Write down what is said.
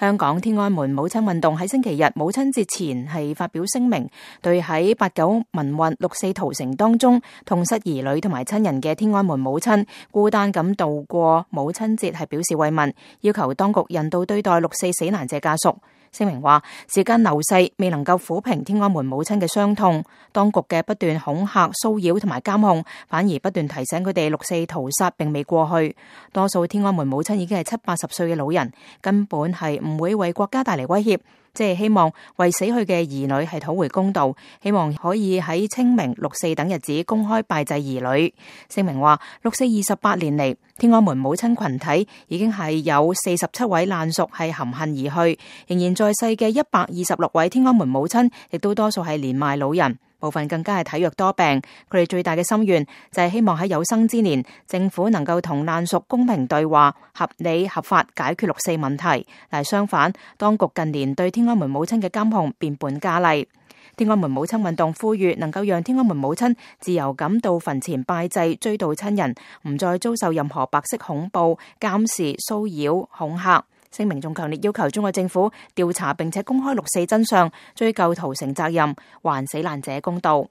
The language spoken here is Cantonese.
香港天安門母親運動喺星期日母親節前係發表聲明，對喺8·9民運六四屠城當中痛失兒女同埋親人嘅天安門母親孤單咁度過母親節係表示慰問，要求當局人道對待六四死難者家屬。聲明話，時間流逝未能夠撫平天安門母親嘅傷痛，當局嘅不斷恐嚇、騷擾同埋監控，反而不斷提醒佢哋六四屠殺並未過去。多數天安門母親已經係70-80歲嘅老人，根本係唔會為國家帶嚟威脅，即係希望為死去嘅兒女係討回公道，希望可以喺清明、六四等日子公開拜祭兒女。聲明話，六四28年嚟，天安門母親群體已經係有47位爛屬係含恨而去，仍然在世嘅126位天安門母親，亦都多數係年邁老人，部分更加係體弱多病。佢哋最大嘅心願就係希望喺有生之年，政府能夠同爛屬公平對話，合理合法解決六四問題。但係相反，當局近年對天安門母親嘅監控變本加厲。天安門母親運動呼籲能夠讓天安門母親自由咁到墳前拜祭，追悼親人，唔再遭受任何白色恐怖、監視、騷擾、恐嚇。聲明仲強烈要求中國政府調查並且公開六四真相，追究屠城責任，還死難者公道。